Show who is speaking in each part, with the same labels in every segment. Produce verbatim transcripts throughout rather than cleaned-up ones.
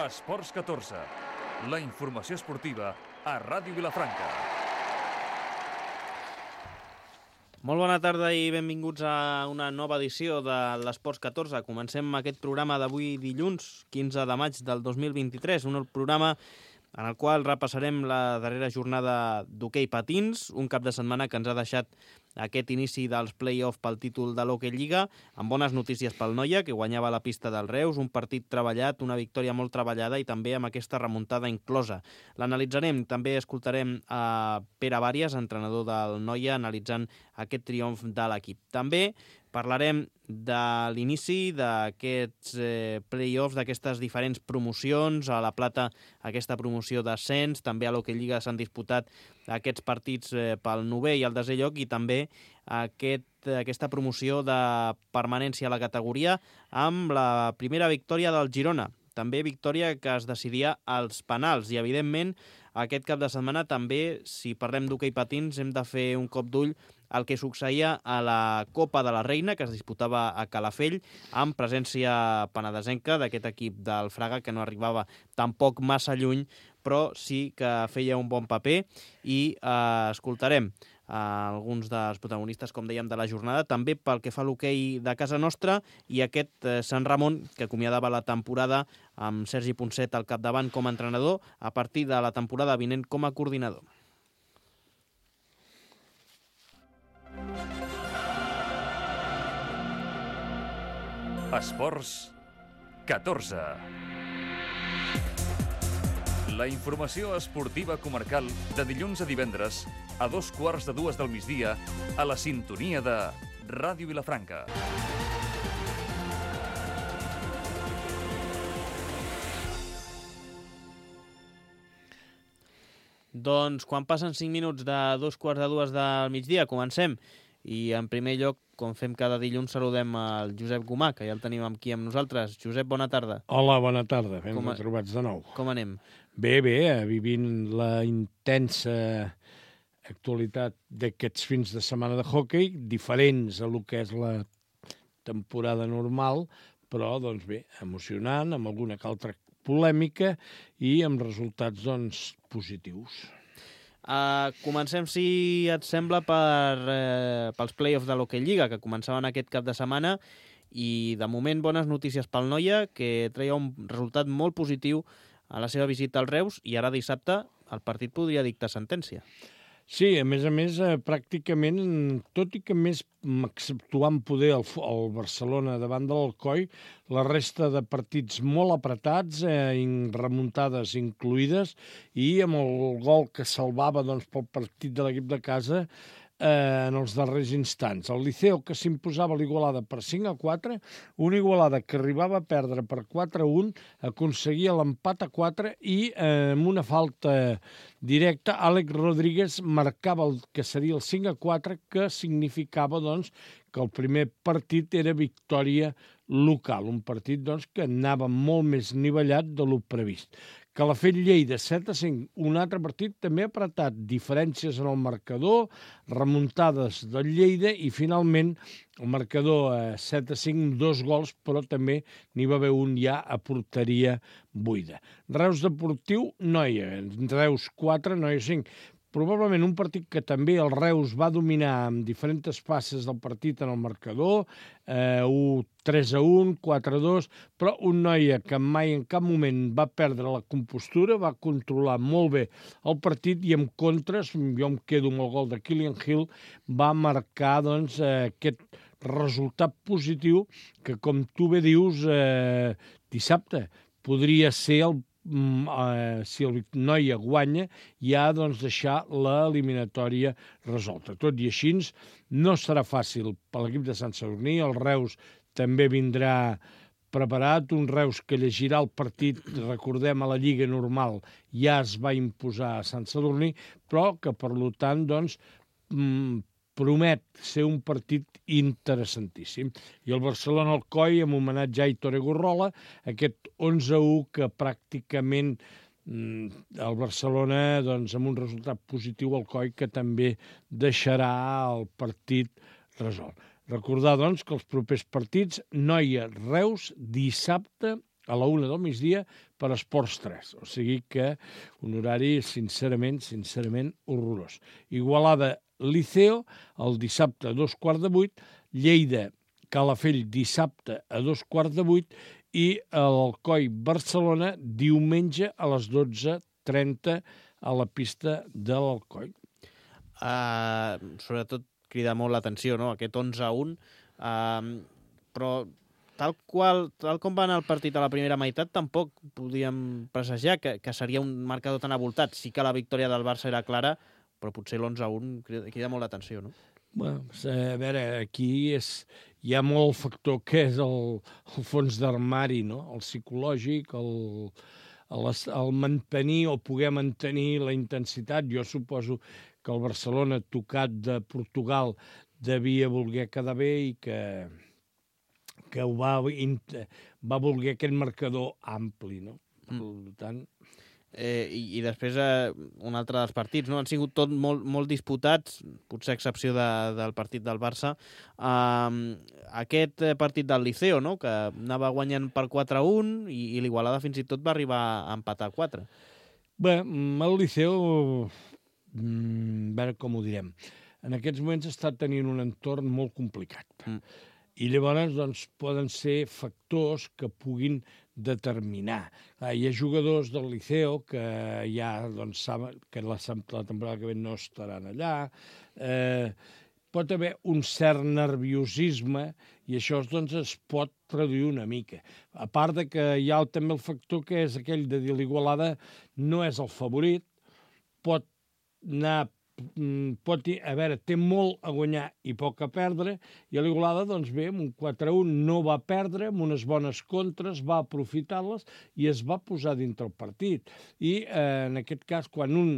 Speaker 1: Esports catorze, la informació esportiva a Ràdio Vilafranca.
Speaker 2: Molt bona tarda i benvinguts a una nova edició de l'Esports catorze. Comencem aquest programa d'avui dilluns, quinze de maig del dos mil vint-i-tres, un programa en el qual repassarem la darrera jornada d'hoquei patins, un cap de setmana que ens ha deixat aquest inici dels play-off pel títol de l'Hockey Lliga, amb bones notícies pel Noia, que guanyava la pista del Reus, un partit treballat, una victòria molt treballada i també amb aquesta remuntada inclosa. L'analitzarem, també escoltarem a Pere Bàries, entrenador del Noia, analitzant aquest triomf de l'equip. També parlarem de l'inici d'aquests eh, play-offs, d'aquestes diferents promocions. A la Plata, aquesta promoció d'ascens, també a l'Hockey Lliga s'han disputat aquests partits eh, pel novè i el desè lloc, i també aquest, aquesta promoció de permanència a la categoria amb la primera victòria del Girona. També victòria que es decidia als penals i, evidentment, aquest cap de setmana també, si parlem d'hoquei patins, hem de fer un cop d'ull el que succeïa a la Copa de la Reina, que es disputava a Calafell, amb presència penedesenca d'aquest equip del Fraga, que no arribava tampoc massa lluny, però sí que feia un bon paper, i eh, escoltarem eh, alguns dels protagonistes, com dèiem, de la jornada, també pel que fa a l'hoquei de casa nostra, i aquest eh, Sant Ramon, que acomiadava la temporada amb Sergi Ponset al capdavant com a entrenador, a partir de la temporada vinent com a coordinador.
Speaker 1: Esports catorze. La informació esportiva comarcal de dilluns a divendres a dos quarts de dues del migdia a la sintonia de Ràdio Vilafranca.
Speaker 2: Doncs quan passen cinc minuts de dos quarts de dues del migdia, comencem. I en primer lloc, com fem cada dilluns, saludem el Josep Gomà, que ja el tenim aquí amb nosaltres. Josep, bona tarda.
Speaker 3: Hola, bona tarda. Ben
Speaker 2: Com a...
Speaker 3: retrobats de nou.
Speaker 2: Com anem?
Speaker 3: Bé, bé, vivint la intensa actualitat d'aquests fins de setmana de hoquei, diferents a lo que és la temporada normal, però, doncs bé, emocionant, amb alguna que altra polèmica i amb resultats, doncs, positius.
Speaker 2: Uh, comencem, si et sembla, per, uh, pels play-offs de l'Hockey Lliga, que començaven aquest cap de setmana, i de moment bones notícies pel Noia, que treia un resultat molt positiu a la seva visita al Reus, i ara dissabte el partit podria dictar sentència.
Speaker 3: Sí, a més a més, eh, pràcticament, tot i que més exceptuant poder el, el Barcelona davant de l'Alcoi, la resta de partits molt apretats, eh, remuntades incluïdes, i amb el gol que salvava, doncs, pel partit de l'equip de casa eh, en els darrers instants. El Liceo, que s'imposava l'Igualada per cinc a quatre, una Igualada que arribava a perdre per quatre a un, aconseguia l'empat a quatre i eh, amb una falta directa, Àlex Rodríguez marcava el que seria el cinc a quatre, que significava, doncs, que el primer partit era victòria local, un partit, doncs, que anava molt més nivellat de lo previst. Calafell-Lleida, set a cinc, un altre partit també apretat, diferències en el marcador, remuntades del Lleida i finalment el marcador eh, set a cinc, dos gols, però també n'hi va haver un ja a porteria buida. Reus Deportiu, Noia, Reus quatre, Noia cinc. Probablement un partit que també el Reus va dominar amb diferents passes del partit en el marcador, eh, tres a un, quatre a dos, però un Noia que mai en cap moment va perdre la compostura, va controlar molt bé el partit i en contres, jo em quedo amb el gol de Killian Hill, va marcar, doncs, eh, aquest resultat positiu que, com tu bé dius, eh, dissabte podria ser el Uh, si el Noia guanya, ja doncs deixar l'eliminatòria resolta. Tot i així, no serà fàcil per l'equip de Sant Sadurní. El Reus també vindrà preparat, un Reus que llegirà el partit, recordem, a la Lliga normal ja es va imposar a Sant Sadurní, però que, per tant, doncs, promet ser un partit interessantíssim. I el Barcelona-Alcoi, amb homenatge a Aitor Egorrola, aquest onze a u que pràcticament el Barcelona, doncs, amb un resultat positiu, Alcoi, que també deixarà el partit resolt. Recordar, doncs, que els propers partits, Noia-Reus, dissabte a la una del migdia per Esports tres. O sigui que un horari, sincerament, sincerament, horrorós. Igualada-Liceo, el dissabte a dos quarts de vuit, Lleida-Calafell dissabte a dos quarts de vuit i l'Alcoi-Barcelona diumenge a les dotze trenta a la pista de l'Alcoi.
Speaker 2: Uh, sobretot crida molt l'atenció, no?, aquest onze a un, uh, però tal qual, tal com va anar el partit a la primera meitat, tampoc podíem presagiar que, que seria un marcador tan avoltat. Sí que la victòria del Barça era clara, però potser l'onze a un crida, crida molt l'atenció, no?
Speaker 3: Bueno, a veure, aquí és, hi ha molt factor que és el, el fons d'armari, no? El psicològic, el, el, el mantenir o poder mantenir la intensitat. Jo suposo que el Barcelona, tocat de Portugal, devia voler quedar bé i que, que ho va, va voler aquest marcador ampli, no? Per tant...
Speaker 2: Eh, i, i després eh, un altre dels partits, no? Han sigut tot molt, molt disputats, potser a excepció de, del partit del Barça. Uh, aquest partit del Liceo, no?, que anava guanyant per quatre a un i, i l'Igualada fins i tot va arribar a empatar a quatre.
Speaker 3: Bé, el Liceo, a veure com ho direm, en aquests moments està tenint un entorn molt complicat. Mm. I llavors doncs, poden ser factors que puguin determinar. Clar, hi ha jugadors del Liceo que ja doncs, saben que la, la temporada que ve no estaran allà. Eh, pot haver un cert nerviosisme i això doncs, es pot traduir una mica. A part de que hi ha també el factor que és aquell de dir l'Igualada no és el favorit, pot anar pot, a veure, té molt a guanyar i poc a perdre, i a l'Igualada, doncs bé, amb un quatre a un no va perdre, amb unes bones contres, va aprofitar-les i es va posar dintre el partit. I eh, en aquest cas, quan un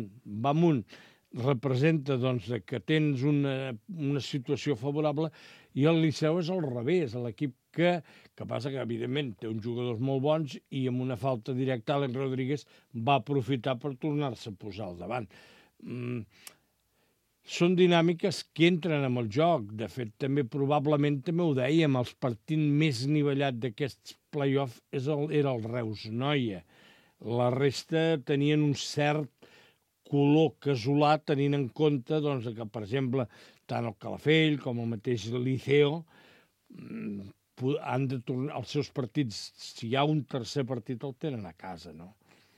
Speaker 3: va amunt, representa doncs, que tens una, una situació favorable, i el Liceu és al revés, l'equip que, que passa que, evidentment, té uns jugadors molt bons i amb una falta directa, Àlex Rodríguez va aprofitar per tornar-se a posar al davant. Mm, són dinàmiques que entren amb el joc. De fet, també probablement, també ho dèiem, els partits més nivellats d'aquests play-off era el Reus-Noia. La resta tenien un cert color casolà, tenint en compte doncs, que, per exemple, tant el Calafell com el mateix Liceo han de tornar els seus partits. Si hi ha un tercer partit, el tenen a casa, no?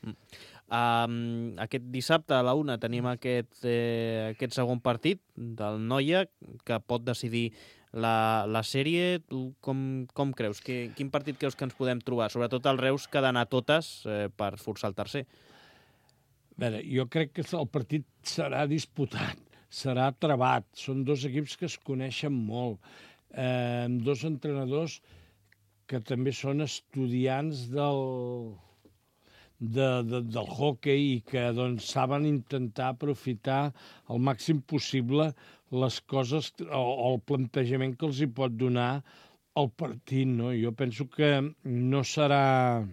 Speaker 2: Mm. Um, aquest dissabte a la una tenim aquest, eh, aquest segon partit del Noia que pot decidir la, la sèrie. Tu com, com creus? Que, quin partit creus que ens podem trobar? Sobretot el Reus que ha d'anar totes eh, per forçar el tercer.
Speaker 3: A veure, jo crec que el partit serà disputat, serà travat. Són dos equips que es coneixen molt, eh, amb dos entrenadors que també són estudiants del... De, de, del hockey i que doncs, saben intentar aprofitar al màxim possible les coses o, o el plantejament que els hi pot donar el partit, no? Jo penso que no serà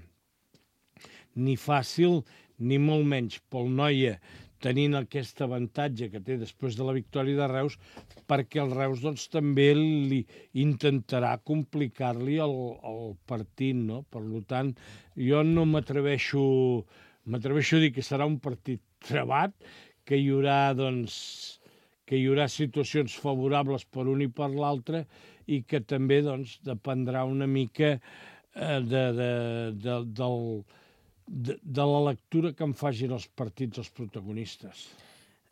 Speaker 3: ni fàcil ni molt menys pel Noia tenint aquest avantatge que té després de la victòria de Reus, perquè el Reus doncs, també li intentarà complicar-li el, el partit, no? Per tant, jo no m'atreveixo m'atreveixo a dir que serà un partit travat, que hi haurà, doncs, que hi haurà situacions favorables per un i per l'altre i que també doncs, dependrà una mica eh, de, de, de, del... De, de la lectura que en facin els partits els protagonistes.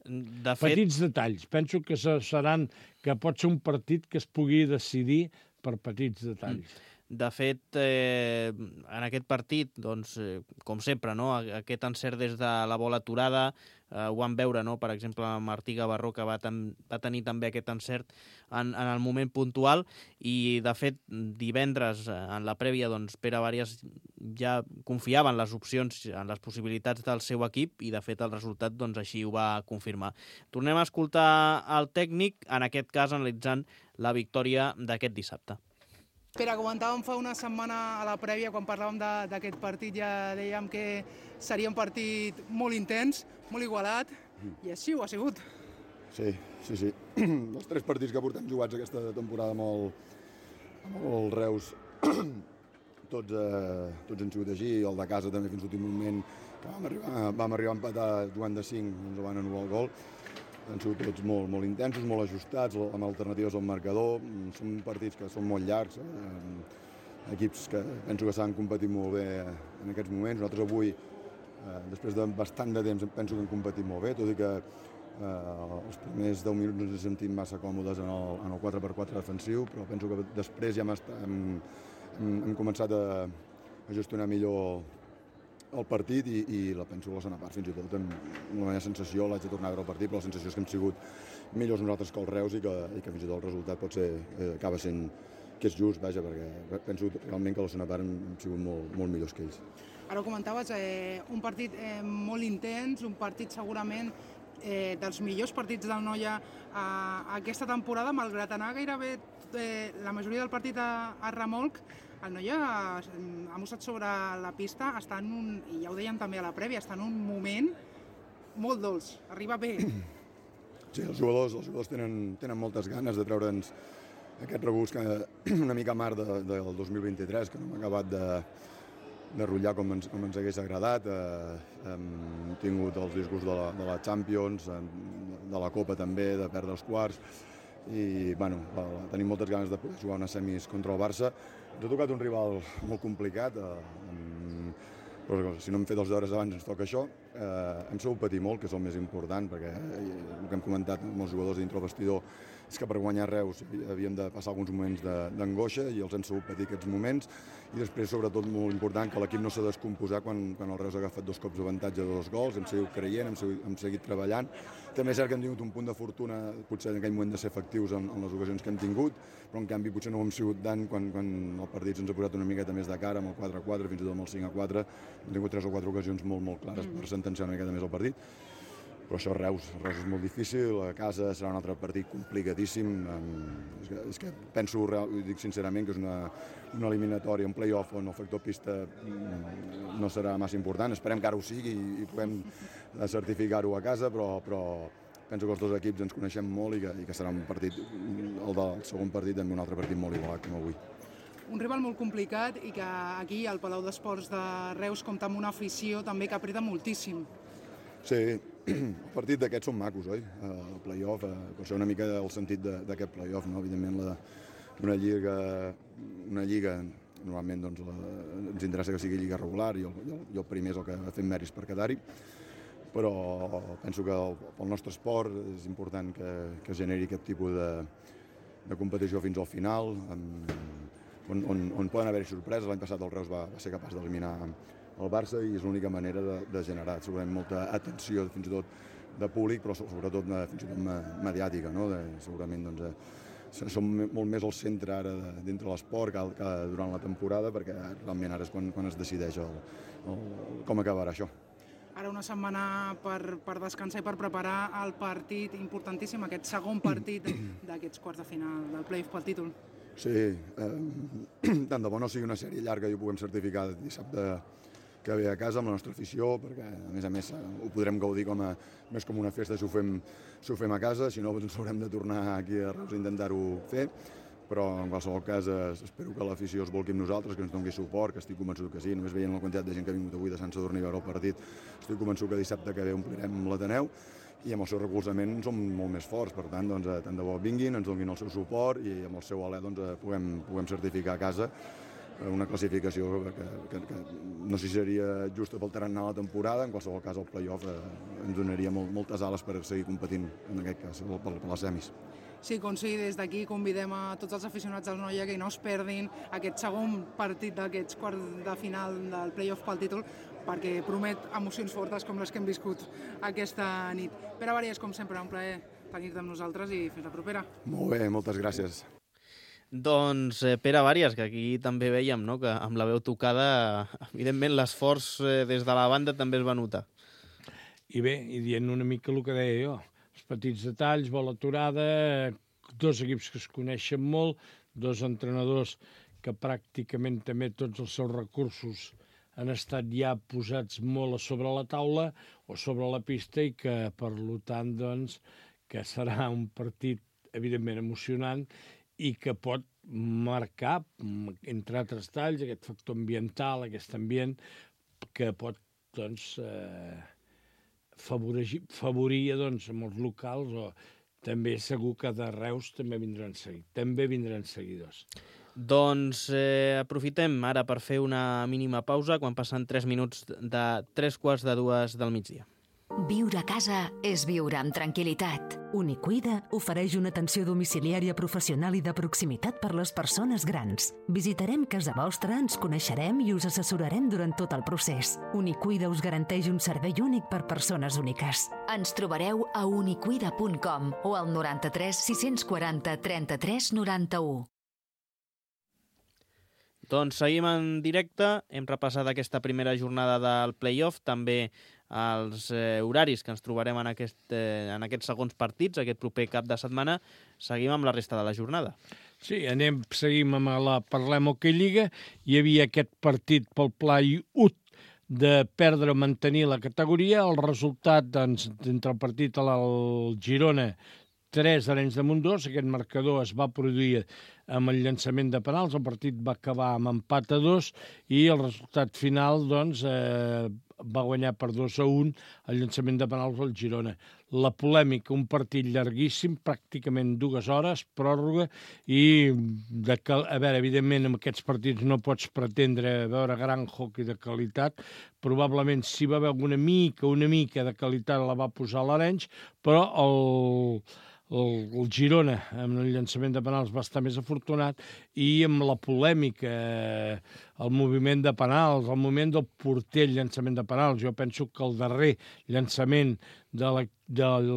Speaker 3: De fet... Petits detalls. Penso que seran que pot ser un partit que es pugui decidir per petits detalls.
Speaker 2: De fet, eh, en aquest partit, doncs, eh, com sempre, no? Aquest encert des de la bola aturada, eh, ho vam veure, no? Per exemple, Martí Gavarró, que va, ten va tenir també aquest encert en, en el moment puntual, i, de fet, divendres, en la prèvia, doncs, Pere Bàrias ja confiava en les opcions, en les possibilitats del seu equip, i, de fet, el resultat, doncs, així ho va confirmar. Tornem a escoltar el tècnic, en aquest cas, analitzant la victòria d'aquest dissabte.
Speaker 4: Pere, comentàvem fa una setmana a la prèvia, quan parlàvem d'aquest partit, ja dèiem que seria un partit molt intens, molt igualat, i així ho ha sigut.
Speaker 5: Sí, sí, sí. Els tres partits que portem jugats aquesta temporada amb el, amb el Reus tots, eh, tots han sigut així, el de casa també fins l'últim moment, que vam arribar, vam arribar a empatar jugant de cinc, ens van anul·lar el gol. Han sigut tots molt, molt intensos, molt ajustats, amb alternatives al marcador. Són partits que són molt llargs, eh? Equips que penso que saben competir molt bé en aquests moments. Nosaltres avui, eh, després de bastant de temps, penso que hem competit molt bé, tot i que eh, els primers deu minuts ens hem sentit massa còmodes en el, en el quatre per quatre defensiu, però penso que després ja hem, hem, hem, hem començat a, a gestionar millor el partit i, i la penso la segona part fins i tot amb la meva sensació, l'haig de tornar a veure el partit, però la sensació és que hem sigut millors nosaltres que els Reus i que, i que fins i tot el resultat pot ser, eh, acaba sent que és just, vaja, perquè penso realment que la segona part hem, hem sigut molt, molt millors que ells.
Speaker 4: Ara ho comentaves, eh, un partit eh, molt intens, un partit segurament eh, dels millors partits del Noia eh, aquesta temporada, malgrat anar gairebé eh, la majoria del partit a, a remolc. El Noia ha mostrat sobre la pista, està en un, i ja ho dèiem també a la prèvia, està en un moment molt dolç, arriba bé.
Speaker 5: Sí, els jugadors, els jugadors tenen, tenen moltes ganes de treure'ns aquest regust que una mica mar de, del dos mil vint-i-tres, que no hem acabat de, de rotllar com ens, com ens hagués agradat. Eh, hem tingut els disgusts de la, de la Champions, de la Copa també, de perdre els quarts, i bueno, tenim moltes ganes de poder jugar unes semis contra el Barça. Ens ha tocat un rival molt complicat, eh, però si no hem fet els deures abans ens toca això. Eh, hem sabut patir molt, que és el més important, perquè el que hem comentat amb els jugadors dintre el vestidor és que per guanyar Reus havíem de passar alguns moments d'angoixa i els hem sabut patir aquests moments, i després, sobretot, molt important, que l'equip no s'ha descomposat quan, quan el Reus ha agafat dos cops d'avantatge de dos gols, hem seguit creient, hem seguit, hem seguit treballant. També és cert que hem tingut un punt de fortuna, potser en aquell moment de ser efectius en, en les ocasions que hem tingut, però en canvi potser no ho hem sigut tant quan, quan el partit se'ns ha posat una miqueta més de cara, amb el quatre a quatre, fins i tot amb el cinc a quatre, hem tingut tres o quatre ocasions molt, molt clares per sentenciar una miqueta més el partit. Però això Reus, Reus és molt difícil, a casa serà un altre partit complicadíssim. És que, és que penso, ho dic sincerament, que és una, una eliminatòria, un play-off on el factor pista no serà massa important. Esperem que ara ho sigui i puguem certificar-ho a casa, però, però penso que els dos equips ens coneixem molt i que, i que serà un partit, el del segon partit, també un altre partit molt igualat com avui.
Speaker 4: Un rival molt complicat i que aquí al Palau d'Esports de Reus compta amb una afició també que apreta moltíssim.
Speaker 5: Sí, el partit d'aquests són macos, oi? El play-off, per això una mica el sentit d'aquest play-off, no? Evidentment, la, una lliga, una lliga normalment doncs, la, ens interessa que sigui lliga regular i el, i el, i el primer és el que ha fet mèrits per quedar-hi, però penso que el, pel nostre esport és important que, que generi aquest tipus de, de competició fins al final, amb, on, on, on poden haver-hi sorpreses. L'any passat el Reus va, va ser capaç d'eliminar el Barça i és l'única manera de, de generar segurament molta atenció fins i tot de públic, però sobretot fins i tot mediàtica, no? De, segurament doncs, eh, som molt més al centre ara de, dintre l'esport que, que durant la temporada, perquè realment ara és quan, quan es decideix el, el, com acabarà això.
Speaker 4: Ara una setmana per, per descansar i per preparar el partit importantíssim, aquest segon partit d'aquests quarts de final del play-off pel títol.
Speaker 5: Sí, eh, tant de bo no sigui una sèrie llarga i ho puguem certificar dissabte que ve a casa amb la nostra afició, perquè a més a més ho podrem gaudir com a, més com una festa si ho fem, si ho fem a casa, si no ens haurem de tornar aquí a Reus a intentar-ho fer, però en qualsevol cas espero que l'afició es volqui amb nosaltres, que ens doni suport, que estic convençut que sí, només veient la quantitat de gent que ha vingut avui de Sant Sadurní a veure el partit, estic convençut que dissabte que ve omplirem l'Ateneu i amb el seu recolzament som molt més forts, per tant, doncs, tant de bo vinguin, ens donin el seu suport i amb el seu alè doncs, puguem, puguem certificar a casa una classificació que, que, que no sé si seria justa pel tarannà la temporada, en qualsevol cas el play-off eh, ens donaria molt, moltes ales per seguir competint, en aquest cas, per, per les semis.
Speaker 4: Sí, com sí, des d'aquí convidem a tots els aficionats del Noia que no es perdin aquest segon partit d'aquests quarts de final del play-off pel títol, perquè promet emocions fortes com les que hem viscut aquesta nit. Pere Bàries, com sempre, un plaer tenir-te amb nosaltres i fins la propera.
Speaker 5: Molt bé, moltes gràcies.
Speaker 2: Doncs eh, Pere Bàries, que aquí també veiem, no?, que amb la veu tocada, evidentment l'esforç eh, des de la banda també es va notar.
Speaker 3: I bé, i dient una mica el que deia jo, els petits detalls, bola aturada, dos equips que es coneixen molt, dos entrenadors que pràcticament també tots els seus recursos han estat ja posats molt a sobre la taula o sobre la pista i que, per tant, doncs, que serà un partit evidentment emocionant i que pot marcar, entre altres talls, aquest factor ambiental, aquest ambient que pot, doncs, eh, favorir, favorir doncs, amb els locals, o també segur que de Reus també vindran, segui, també vindran seguidors.
Speaker 2: Doncs eh, aprofitem ara per fer una mínima pausa quan passen tres minuts de tres quarts de dues del migdia.
Speaker 6: Viure a casa és viure amb tranquil·litat. Unicuida ofereix una atenció domiciliària professional i de proximitat per les persones grans. Visitarem casa vostra, ens coneixerem i us assessorarem durant tot el procés. Unicuida us garanteix un servei únic per persones úniques. Ens trobareu a unicuida punt com o al noranta-tres sis-cents quaranta trenta-tres noranta-u.
Speaker 2: Doncs seguim en directe, hem repassat aquesta primera jornada del play-off, també els eh, horaris que ens trobarem en, aquest, eh, en aquests segons partits, aquest proper cap de setmana. Seguim amb la resta de la jornada.
Speaker 3: Sí, anem, seguim amb la Parlem Hockey Lliga. Hi havia aquest partit pel play-ut de perdre o mantenir la categoria. El resultat, doncs, entre el partit al Girona, tres Arenys de Munt dos, aquest marcador es va produir amb el llançament de penals, el partit va acabar amb empat a dos i el resultat final, doncs, eh, va guanyar per dos a un el llançament de penals al Girona. La polèmica, un partit llarguíssim, pràcticament dues hores, pròrroga, i, de cal... a veure, evidentment, en aquests partits no pots pretendre veure gran hockey de qualitat. Probablement, si va haver alguna mica, una mica de qualitat, la va posar l'Arenys, però el... El, el Girona, amb el llançament de penals, va estar més afortunat, i amb la polèmica, el moviment de penals, el moment del porter, el llançament de penals. Jo penso que el darrer llançament de la, del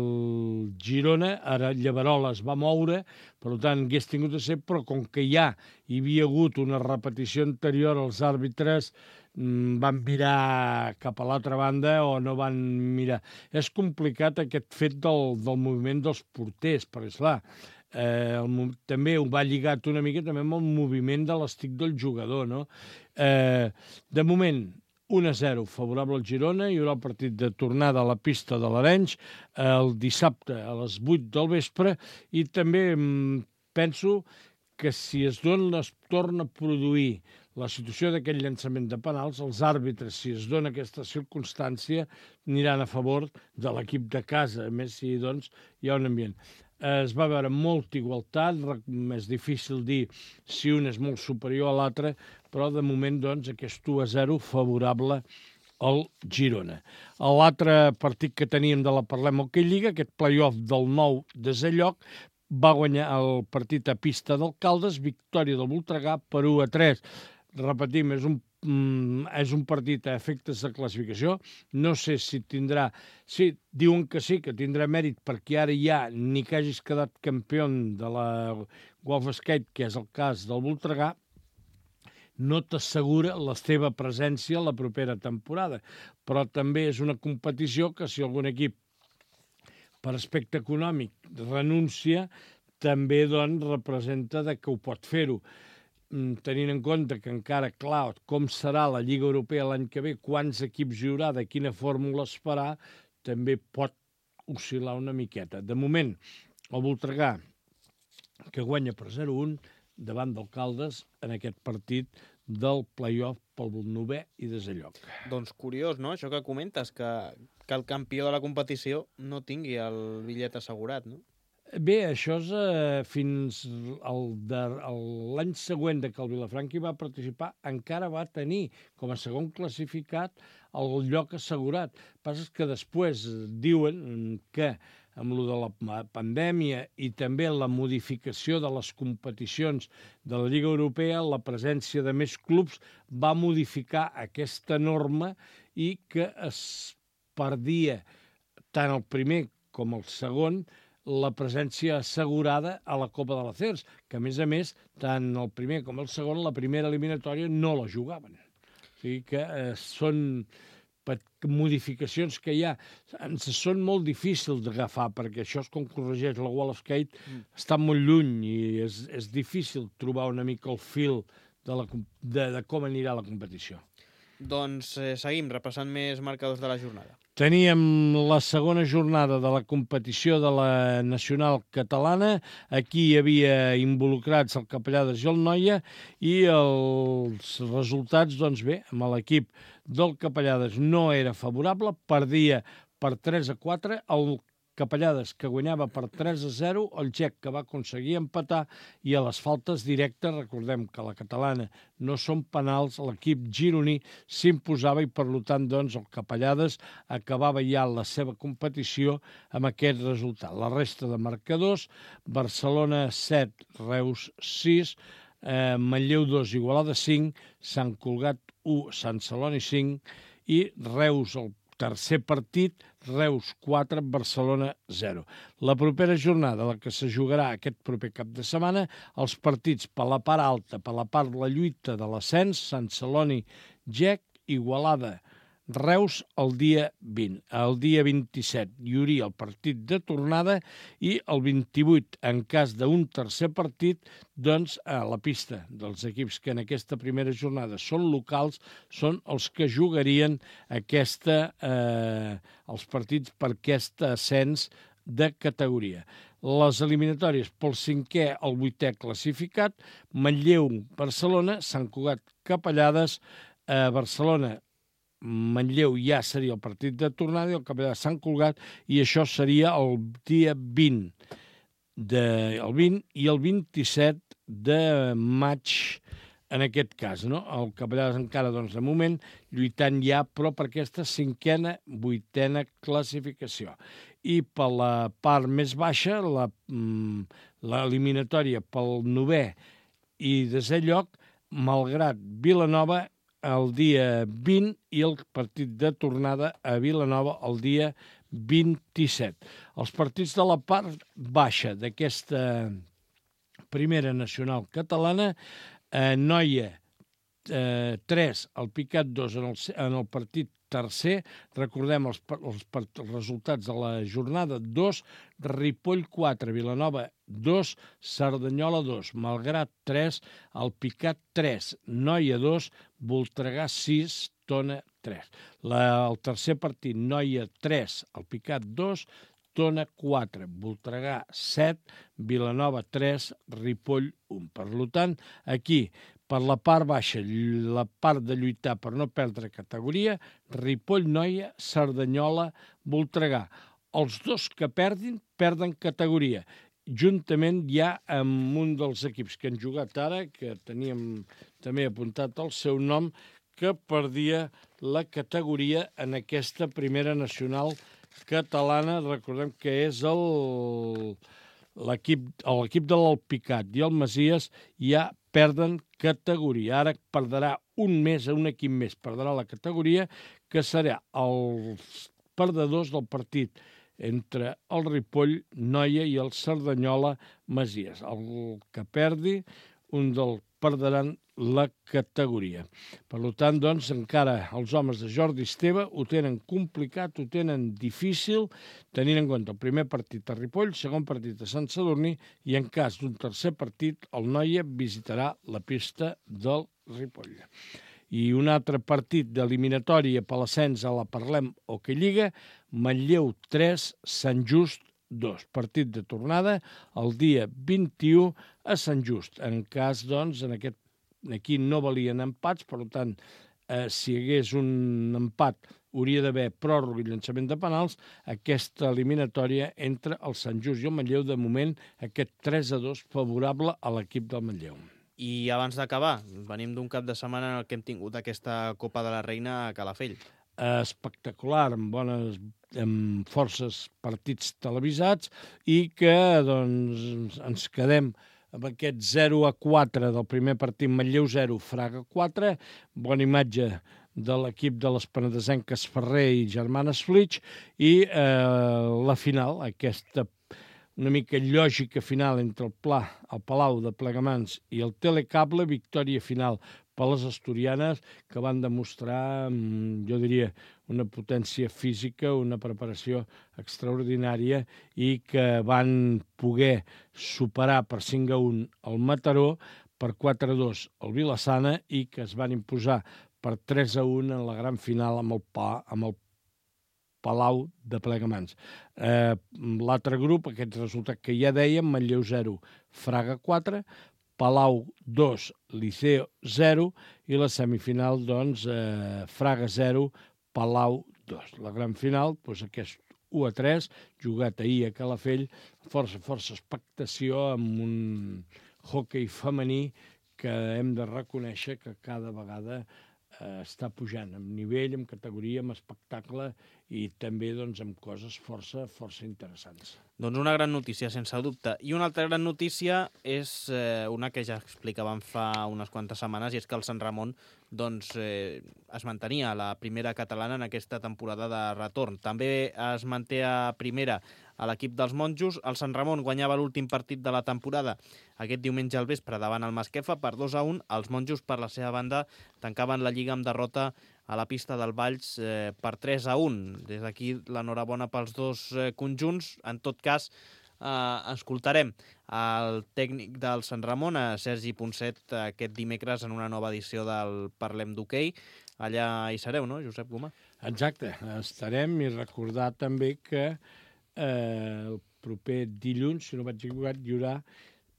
Speaker 3: Girona, ara Llevarola es va moure, per tant, hagués tingut de ser, però com que ja hi havia hagut una repetició anterior, els àrbitres van mirar cap a l'altra banda o no van mirar. És complicat aquest fet del, del moviment dels porters, perquè, esclar, eh, el, també ho va lligat una mica també amb el moviment de l'estic del jugador, no? Eh, de moment, un a zero favorable al Girona, hi haurà el partit de tornada a la pista de l'Arenys el dissabte a les vuit del vespre, i també mm, penso que si es dona, es torna a produir la situació d'aquest llançament de penals, els àrbitres, si es dona aquesta circumstància, aniran a favor de l'equip de casa, a més si doncs, hi ha un ambient. Es va veure molta igualtat, és difícil dir si un és molt superior a l'altre, però de moment doncs, aquest u a zero favorable al Girona. L'altre partit que teníem de la Parlem Hockey Lliga, aquest play-off del nou desè lloc, va guanyar el partit a pista d'Alcaldes, victòria del Voltregà per u a tres. Repetim, és un, mm, és un partit a efectes de classificació. No sé si tindrà... Sí, diuen que sí, que tindrà mèrit, perquè ara ja ni que hagis quedat campió de la Golf Skate, que és el cas del Voltregà, no t'assegura la teva presència la propera temporada. Però també és una competició que si algun equip per aspecte econòmic renuncia, també doncs, representa de que ho pot fer-ho. Tenint en compte que encara, clar, com serà la Lliga Europea l'any que ve, quants equips hi haurà, de quina fórmula es farà, també pot oscil·lar una miqueta. De moment, el Voltregà, que guanya per zero a un davant d'Alcaldes en aquest partit del play-off pel novè i desè lloc.
Speaker 2: Doncs curiós, no?, això que comentes, que, que el campió de la competició no tingui el bitllet assegurat, no?
Speaker 3: Bé, això és eh, fins l'any següent de que el Vilafranca hi va participar, encara va tenir com a segon classificat el lloc assegurat. El que passa és que després diuen que amb lo de la pandèmia i també la modificació de les competicions de la Lliga Europea, la presència de més clubs va modificar aquesta norma i que es perdia tant el primer com el segon la presència assegurada a la Copa de la C E R S, que a més a més, tant el primer com el segon, la primera eliminatòria no la jugaven. O sigui que eh, són modificacions que hi ha. Ens són molt difícils d'agafar, perquè això és com corregeix la Wall of Skate, mm. està molt lluny i és, és difícil trobar una mica el fil de, la, de, de com anirà la competició.
Speaker 2: Doncs eh, seguim repassant més marcadors de la jornada.
Speaker 3: Teníem la segona jornada de la competició de la Nacional Catalana. Aquí hi havia involucrats el Capellades i el Noia i els resultats, doncs bé, amb l'equip del Capellades no era favorable, perdia per tres a quatre, el Capellades que guanyava per tres a zero, el Gec que va aconseguir empatar i a les faltes directes, recordem que la catalana no són penals, l'equip gironí s'imposava i per tant doncs el Capellades acabava ja la seva competició amb aquest resultat. La resta de marcadors, Barcelona set, Reus sis, eh, Manlleu dos, Igualada cinc, Sant Cugat u, Sant Celoni cinc i Reus el tercer partit, Reus quatre, Barcelona zero. La propera jornada, la que se jugarà aquest proper cap de setmana, els partits per la part alta, per la part de la lluita de l'ascens, Sant Celoni, Gec, Igualada, Reus el dia vint. El dia vint-i-set hi hauria el partit de tornada i el vint-i-vuit, en cas d'un tercer partit, doncs a la pista dels equips que en aquesta primera jornada són locals, són els que jugarien aquesta, eh, els partits per aquest ascens de categoria. Les eliminatòries pel cinquè al vuitè classificat, Manlleu, Barcelona, Sant Cugat, Capellades, eh, Barcelona, Manlleu ja seria el partit de tornada i el Capellades Sant Cugat, i això seria el dia vint, de, el vint i el vint-i-set de maig en aquest cas, no? El Capellades encara, doncs, de moment, lluitant ja, però per aquesta cinquena, vuitena classificació. I per la part més baixa, la, l'eliminatòria pel novè i desè lloc, malgrat Vilanova, el dia vint i el partit de tornada a Vilanova el dia vint-i-set. Els partits de la part baixa d'aquesta primera nacional catalana, eh, Noia eh, tres, el Picat dos en el, en el partit tercer, recordem els, els, els resultats de la jornada dos, Ripoll quatre, Vilanova dos, Cerdanyola dos, Malgrat tres, el Picat tres, Noia dos, Voltregà sis, Tona tres. La, el tercer partit, Noia tres, el Picat dos, Tona quatre, Voltregà set, Vilanova tres, Ripoll un. Per tant, aquí, per la part baixa, la part de lluitar per no perdre categoria, Ripoll, Noia, Cerdanyola, Voltregà. Els dos que perdin, perden categoria. Juntament ja amb un dels equips que han jugat ara, que teníem també apuntat el seu nom, que perdia la categoria en aquesta primera nacional catalana. Recordem que és el, l'equip, l'equip de l'Alpicat i el Masies ja perden categoria. Ara perdrà un més, un equip més perdrà la categoria, que serà els perdedors del partit entre el Ripoll, Noia i el Cerdanyola, Masies. El que perdi, un del perdran la categoria. Per tant, doncs, encara els homes de Jordi Esteve ho tenen complicat, ho tenen difícil, tenint en compte el primer partit a Ripoll, segon partit a Sant Sadurní, i en cas d'un tercer partit, el Noia visitarà la pista del Ripoll. I un altre partit d'eliminatòria per l'ascens a la Parlem Hockey Lliga, Manlleu tres, Sant Just dos. Partit de tornada el dia vint-i-u a Sant Just. En cas, doncs, en aquest, aquí no valien empats, per tant, eh, si hi hagués un empat hauria d'haver pròrroga i llançament de penals. Aquesta eliminatòria entre el Sant Just i el Manlleu, de moment, aquest tres a dos favorable a l'equip del Manlleu.
Speaker 2: I abans d'acabar, venim d'un cap de setmana en el que hem tingut aquesta Copa de la Reina a Calafell.
Speaker 3: Espectacular, amb bones, amb forces partits televisats, i que doncs, ens quedem amb aquest zero a quatre del primer partit, Manlleu zero, Fraga quatre, bona imatge de l'equip de les penedesenques Ferrer i Germanes Flix, i eh, la final, aquesta una mica lògica final entre el Pla, el Palau de Plegamans i el Telecable, victòria final per les asturianes, que van demostrar, jo diria, una potència física, una preparació extraordinària, i que van poder superar per cinc a un el Mataró, per quatre a dos el Vilassana, i que es van imposar per tres a un en la gran final amb el, pa, amb el Palau de Plegamans. Eh, L'altre grup, aquest resultat que ja dèiem, Manlleu zero, Fraga quatre, Palau dos, Liceo zero, i la semifinal, doncs, eh, Fraga zero, Palau dos. La gran final, doncs, aquest u a tres, jugat ahir a Calafell, força, força expectació amb un hoquei femení que hem de reconèixer que cada vegada eh, està pujant en nivell, en categoria, en espectacle i també doncs, amb coses força, força interessants.
Speaker 2: Doncs una gran notícia, sense dubte. I una altra gran notícia és eh, una que ja explicàvem fa unes quantes setmanes, i és que el Sant Ramon doncs, eh, es mantenia a la primera catalana en aquesta temporada de retorn. També es manté a primera a l'equip dels monjos. El Sant Ramon guanyava l'últim partit de la temporada aquest diumenge al vespre davant el Masquefa per dos a un. Els monjos, per la seva banda, tancaven la Lliga amb derrota a la pista del Valls eh, per tres a un. Des d'aquí l'enhorabona pels dos eh, conjunts. En tot cas, eh, escoltarem el tècnic del Sant Ramon, a Sergi Ponset, aquest dimecres en una nova edició del Parlem d'Hoquei. Allà hi sereu, no, Josep Gomà?
Speaker 3: Exacte, estarem, i recordar també que eh, el proper dilluns, si no vaig equivocat, hi haurà...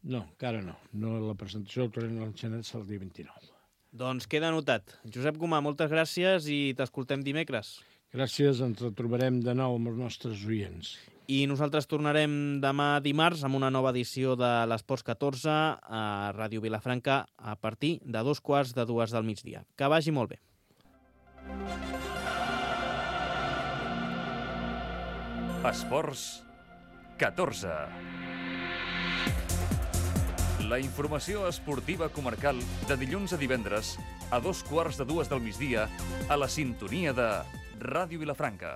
Speaker 3: No, encara no. no la presentació del torneig de l'Enxanet serà el dia vint-i-nou. Doncs
Speaker 2: queda anotat. Josep Gomà, moltes gràcies i t'escoltem dimecres.
Speaker 3: Gràcies, ens retrobarem de nou amb els nostres oients.
Speaker 2: I nosaltres tornarem demà dimarts amb una nova edició de l'Esports catorze a Ràdio Vilafranca a partir de dos quarts de dues del migdia. Que vagi molt bé.
Speaker 1: Esports catorze. La informació esportiva comarcal de dilluns a divendres a dos quarts de dues del migdia a la sintonia de Ràdio Vilafranca.